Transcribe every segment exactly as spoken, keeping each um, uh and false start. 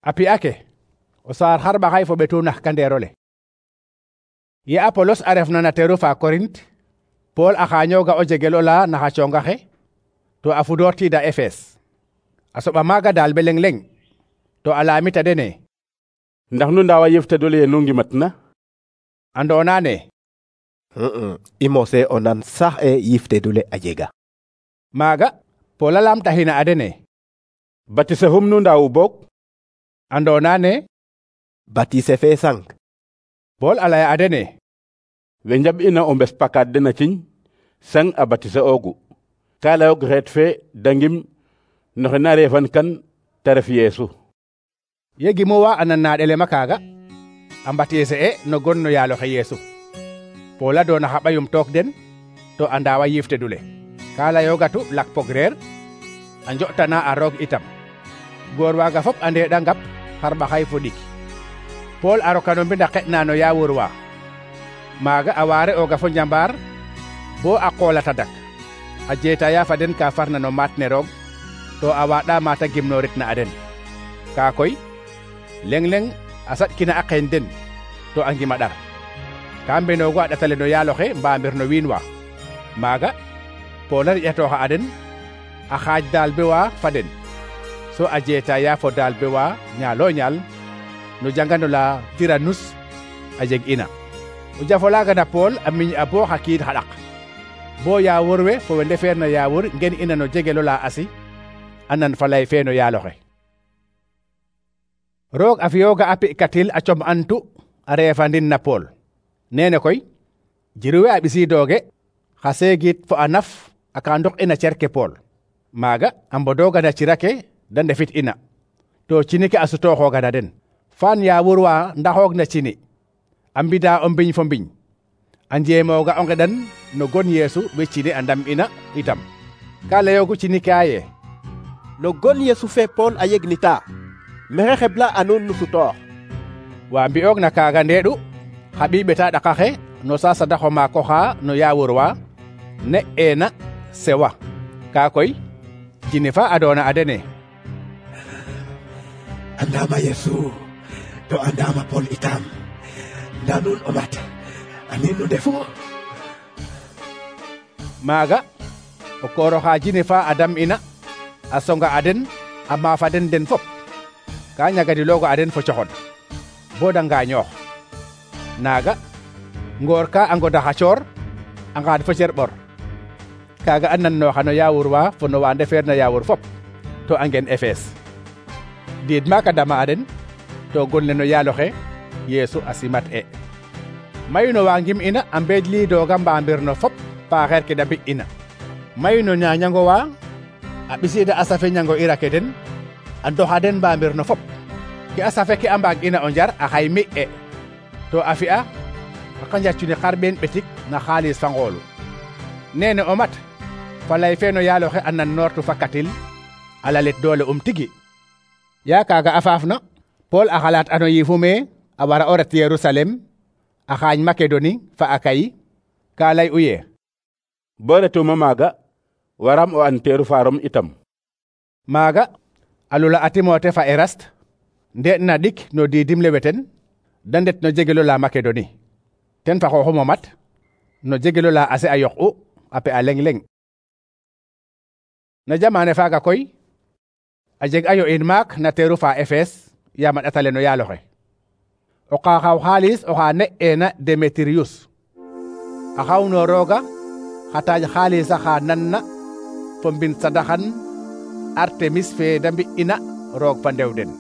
A pi'a ke o saar xarɓaxay fo ɓetu nax kandeerole. Ye Apolos a refna na teeru fa Korint, Pool a xaañooga o jegel ola naxa coongaxe to a fudoortiida Efes. A soɓa maaga daal be leŋ leŋ to a laamita dene: ndax nu ndaawa yiftedole ye nu ngimatna? Andoona ne i mose o nan sax e yiftedule a jega. Maaga Pool a laamtaxina a dene: batise hum nu ndaawu boog? Andoona ne batise fe sang. Pool a laya a dene: we njaɓ'ina o mbes pakaat den a ciñ sang a batise oogu. Ka layoog xeet fe dangim no xe na reefan kan te ref Yeesu. Ye gimuwa a nan na ɗelema kaaga, a mbatise e no gon no yaaloxe Yeesu. Pool a doona xa ɓayum took den to a ndaawa yiftedule. Ka layoogatu lak pogreer a njo'tana a roog itam. Goor waaga fop a ndeeɗa ngap xarɓaxay fo ɗik. Pool a roka no mbinda xe'na no yaawur wa. Maaga a waare ooga fo njambaar bo a qool a tadak. A jeetaya fa den ka farna no maat ne roog to a waaɗa maata gimnooritna a den. Kaa koy leŋ leŋ a saɗkina a qeeñ den to a ngima ɗar. Ka mbenoogu a ɗatale no yaaloxe mbaamir no wiin wa. Maaga Pool a riƴatooxa a den a xaaj daal be wa fa den, so a jeetaya fo daal be wa ñaalo ñaal no jangano la Tiranus a jeg ina. O jafo laaga na Pool a miñ a bo xa kiid xa ɗaq, bo yaawur we fo we ndefeer na yaawur ngen ina no jegelo la Asi a nan falay fe no yaaloxe. Roog a fiyooga a pi'katil a com antu a reefandin na Pool. Neene koy jiru we a ɓisiidooge xa seegit fo a naf a ka ndok ina cerke Pool. Maaga a mbodooga na cira ke da ndefit ina to cini ke a sutooxooga na den. Faan yaawur wa ndaxoog na cini a mbida o mbiñ fo mbiñ a njeemooga o ngeɗan no gon Yeesu we cini a ndam ina itam. Ka layoogu cini kaaye: no gon Yeesu fe Pool a yegnita mexe xebla a nuun nu sutoox. Wa mbi'oog na kaaga ndeeɗu xa ɓiy ɓeta ɗaqaxe no sasadaxo maako xa no yaawur wa ne eena Sewa. Kaa koy cini fa a doona a dene: andama Yeesu to andama Pool itam, nda nuun o mat anin nu ndefu. Maaga o kooroxa jine fa a dam ina a songa a den a maafa den den fop. Ka ñagadilooga a den fo coxod bo da ngaañoox. Naaga ngoor ka a ngoda xa coor a ngaad fo cer ɓor. Kaaga a nannooxa no yaawur wa fo no wa ndefeer na yaawur fop to a ngen Efes. Diid maaka dama a den to gon le no yaaloxe Yeesu a simat e. Mayu no wa ngim ina a mbeej liidooga mbaambir no fop paaxeer ke da mbi ina. Mayu no ñaañango wa a ɓisiida a safe ñango ira ke den a ndoxa den mbaambir no fop. Ke a safe ke a mbaag ina o njar a xay mi e to a fi'a a qanja cuni xarɓeen ɓetik na xaalis fa ngoolu. Neene o mat falay fe no yaaloxe a nan noortu fa katil a lalit doole um tigi. Yaa kaaga a faafna Pool a xalaat ano yiifu me a wara o ret Yerusalem a xaañ Makedoni fa Akayi. Ka lay u ye: bo retuma maaga waram o an teeru fa Rom itam. Maaga a lula a Timote fa Erast ndeeɗ na ɗik no diidim le weten da ndet no jegelo la Makedoni. Ten fa xooxum o mat no jegelo la Ase a yoq'u a pe'a leŋ leŋ. Na jamaane faaga koy a jeg ayo in maak na teeru fa Efes yaam a ɗatale no yaaloxe. O ka xaw xaalis oxa ne'eena Demetiriyus a xawnoorooga xa taaj xaalis axa nanna fo mbin sadaxan Artemis fe da mbi'ina roog fa ndew den.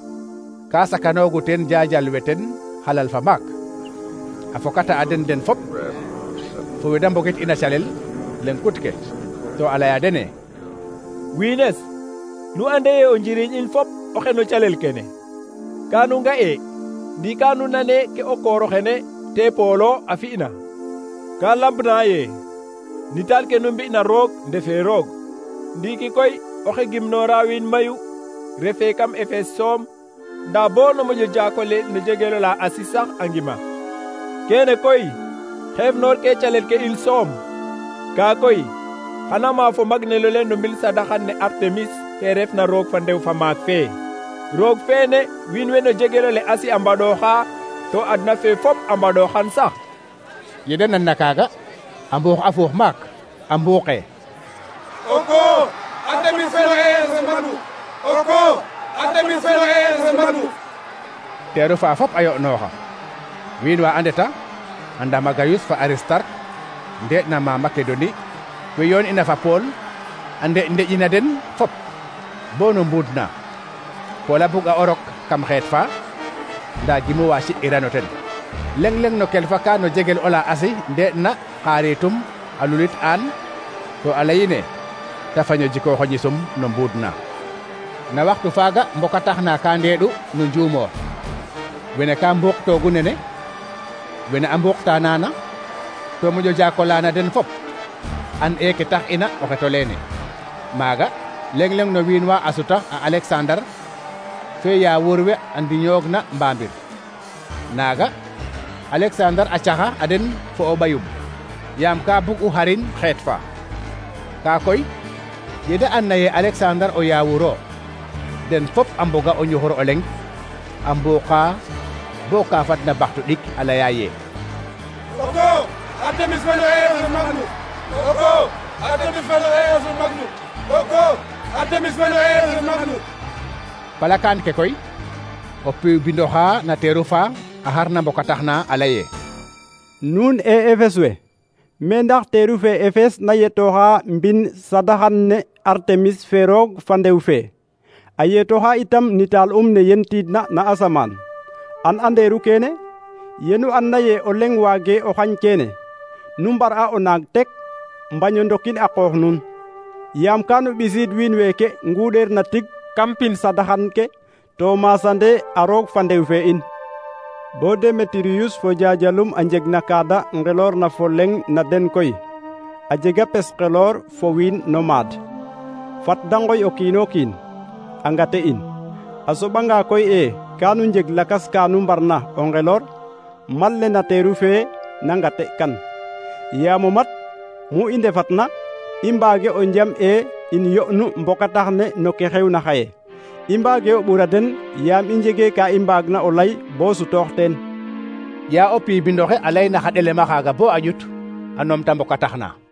Ka sakanoogu ten jaajal we ten xalal fa maak. A fokata a den den fop fo we da mbogit ina calel leŋ kut ke to a laya dene: wiines nu ande ye o njiriñ in fop oxe no calel kene. Ka nu nga'e ndi ka nu nane ke o kooro xene te Poolo a fi'na. Ka lambna ye nital ke nu mbi'na roog ndefe roog. Ndiiki koy oxe gimnoora wiin mayu refe kam Efes soom, nda bo no moƴo jaakole no jegelo la Asi sax a ngima. Kene koy xeefnoor ke calel ke in soom. Ka koy xana maafo magnelo le no mbil sadaxan ne Artemis fe refna roog fa ndew fa maak fe. roog feene wiin we no jegelole asi a mbaɗooxa to adna fe fop a mbaɗooxan sax. Yede nanna kaaga a mbuux a fuux maak a mbuuqee: oko a demis felo Yeesu manu, oko a demis felo Yeesu manu. teeru fa fop a yo'nooxa. wiin wa a ndeta a ndama Gayus fa Aristarke ndeeɗ na ma Makedoni we yoon ina fa Pool a ndeƴ ndeƴina den fop bo no mbuud na. Pool a bug a o rok kam xeet fa nda gimu wa ci'irano ten. leng leng no kel fa ka no jegel ola asi ndeeɗ na xaaritum a lulit aan to a leyine ta faño jikooxo ñisum no mbuud na. na waxtu faaga mbokatax na ka ndeeɗu no njuumoor. wene ka mbuuq toogu nene, wene a mbuuqta naana to moƴo jaakolana den fop an e ke tax ina o xeto leene. maaga leng leng no wiin wa a suta a Alexandre fe ya wuur we a ndiñoog na mbaambir. naaga Alexandre a caxa a den fo o ɓayum yaam ka bug u xarin xeet fa. ka koy yede an naye Alexandre o yaawuro den fop a mboga o ñuxur o leng a mbuuqa bo ka fadna baxtu ɗik a laya ye: oko a demis felo Yeesu magnu, oko a demis felo Yeesu magnu, oko a demis felo Yeesu magnu. palakaan ke koy o piw bindoxa na teeru fa a xarna mbokatax na a laye: nuun e Efes we, me ndax teeru fe Efes na yetooxa mbin sadaxan ne Artemis fe roog fa ndew fe, a yetooxa itam nitaal um ne yentiidna na asamaan. an anderu kene yenu an naye o leng waage o xañ kene nu mbar a o naag tek mbaño ndokin a qoox nuun, yaam kanu ɓisiid wiin weeke nguuɗeer na tig kam pin sadaxan ke to masande a roog fa ndew fe in. bo Demetiriyus fo jajalum a njeg na kaada ngeloor na fo leng na den koy a jega pes xeloor fo wiin no maad. fat da ngoy o kiino kiin a ngate in. a soɓanga koy e kanu njeg lakas kanu mbarna o ngeloor, mal le na teeru fee na ngate kan. yaamo mat mu i ndefatna i mbaage o njam e in yo'nu mbokatax ne no ke xewna xaye. i mbaage o ɓura den yaam i njege ka i mbaagna o lay bo sutoox teen. ya o piy bindoxe a layna xa ɗelema xaaga bo a ƴut a numta mbokatax na.